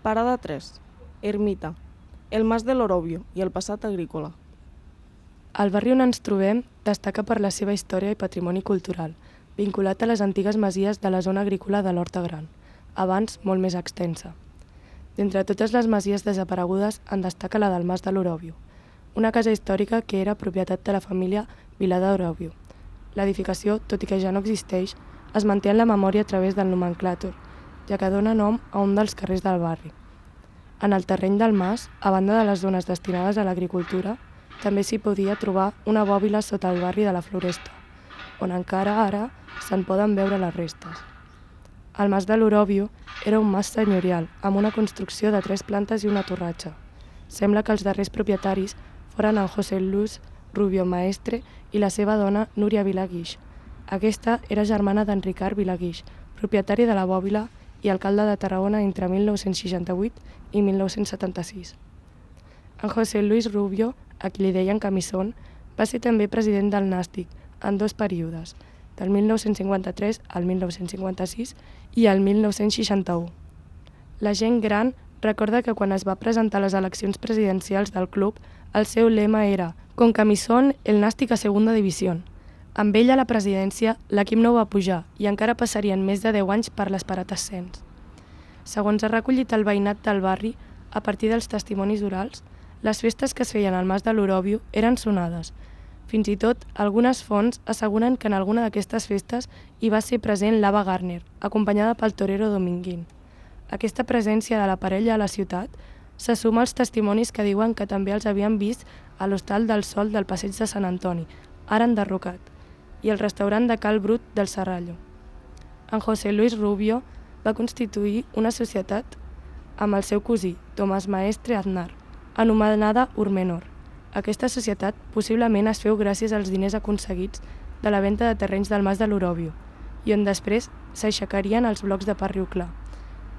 Parada 3. Ermita. El Mas de l'Orobio i el passat agrícola. El barri on ens trobem destaca per la seva història i patrimoni cultural, vinculat a les antigues masies de la zona agrícola de l'Horta Gran, abans molt més extensa. D'entre totes les masies desaparegudes en destaca la del Mas de l'Orobio, una casa històrica que era propietat de la família Vilà d'Orobio. L'edificació, tot i que ja no existeix, es manté en la memòria a través del nomenclàtor, ja que dona nom a un dels carrers del barri. En el terreny del mas, a banda de les zones destinades a l'agricultura, també s'hi podia trobar una bòbila sota el barri de la Floresta, on encara ara se'n poden veure les restes. El Mas de l'Orobio era un mas senyorial, amb una construcció de 3 plantes i una torratxa. Sembla que els darrers propietaris foren en José Luis Rubio Maestre i la seva dona Núria Vilà Guix. Aquesta era germana d'Enricard Vilà Guix, propietari de la bòbila i alcalde de Tarragona entre 1968 i 1976. En José Luis Rubio, a qui li deien Camisón, va ser també president del Nàstic en 2 períodes, del 1953 al 1956 i al 1961. La gent gran recorda que quan es va presentar a les eleccions presidencials del club, el seu lema era «Con Camisón, el Nàstic a segunda división». Amb ell a la presidència, l'equip no va pujar i encara passarien més de 10 anys per l'esperat ascens. Segons ha recollit el veïnat del barri, a partir dels testimonis orals, les festes que es feien al Mas de l'Orobio eren sonades. Fins i tot, algunes fonts asseguren que en alguna d'aquestes festes hi va ser present l'Ava Gardner, acompanyada pel torero Dominguín. Aquesta presència de la parella a la ciutat se suma als testimonis que diuen que també els havien vist a l'Hostal del Sol del Passeig de Sant Antoni, ara enderrocat, i el restaurant de Cal Brut del Serrallo. En José Luis Rubio va constituir una societat amb el seu cosí, Tomàs Maestre Aznar, anomenada Urmenor. Aquesta societat possiblement es feu gràcies als diners aconseguits de la venda de terrenys del Mas de l'Orobio i on després s'aixecarien els blocs de Parriu Clar.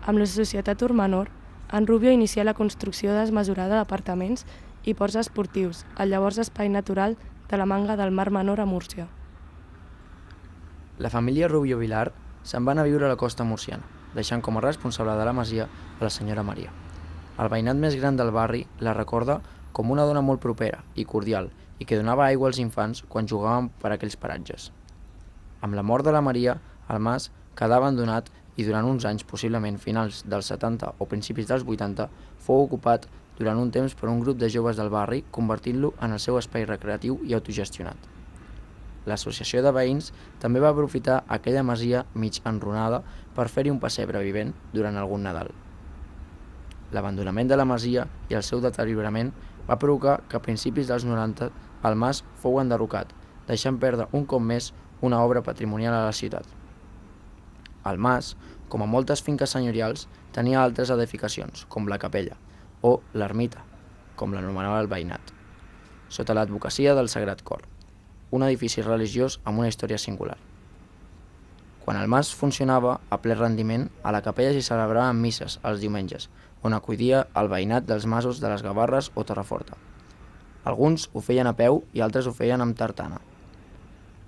Amb la societat Urmenor, en Rubio inicià la construcció desmesurada d'apartaments i ports esportius, al llavors espai natural de la Manga del Mar Menor a Múrcia. La família Rubio Vilar se'n va anar a viure a la costa murciana, deixant com a responsable de la masia a la senyora Maria. El veïnat més gran del barri la recorda com una dona molt propera i cordial i que donava aigua als infants quan jugaven per aquells paratges. Amb la mort de la Maria, el mas quedà abandonat i durant uns anys, possiblement finals dels 70 o principis dels 80, fou ocupat durant un temps per un grup de joves del barri, convertint-lo en el seu espai recreatiu i autogestionat. L'associació de veïns també va aprofitar aquella masia mig enrunada per fer-hi un pessebre vivent durant algun Nadal. L'abandonament de la masia i el seu deteriorament va provocar que a principis dels 90 el mas fou enderrocat, deixant perdre un cop més una obra patrimonial a la ciutat. El mas, com a moltes finques senyorials, tenia altres edificacions, com la capella, o l'ermita, com l'anomenava el veïnat, sota l'advocacia del Sagrat Cor, un edifici religiós amb una història singular. Quan el mas funcionava a ple rendiment, a la capella s'hi celebraven misses els diumenges, on acudia el veïnat dels masos de les Gavarres o Torreforta. Alguns ho feien a peu i altres ho feien amb tartana.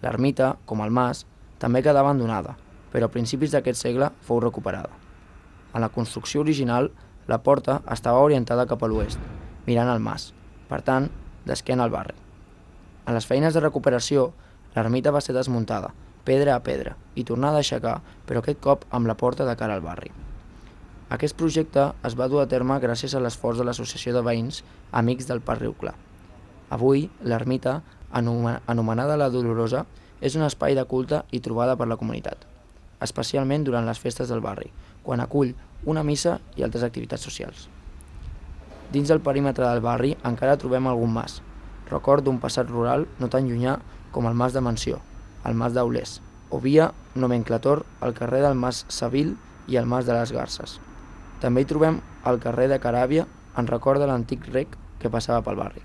L'ermita, com el mas, també quedà abandonada, però a principis d'aquest segle fou recuperada. En la construcció original, la porta estava orientada cap a l'oest, mirant al mas, per tant, d'esquena al barri. En les feines de recuperació, l'ermita va ser desmuntada, pedra a pedra, i tornada a aixecar, però aquest cop amb la porta de cara al barri. Aquest projecte es va dur a terme gràcies a l'esforç de l'Associació de Veïns Amics del Parriu Clar. Avui, l'ermita, anomenada la Dolorosa, és un espai de culte i trobada per la comunitat, especialment durant les festes del barri, quan acull una missa i altres activitats socials. Dins del perímetre del barri encara trobem algun mas, record d'un passat rural no tan llunyà com el Mas de Mansió, el Mas d'Aulés, o via nomenclator al carrer del Mas Savil i el Mas de les Garces. També hi trobem el carrer de Caràbia en record de l'antic rec que passava pel barri.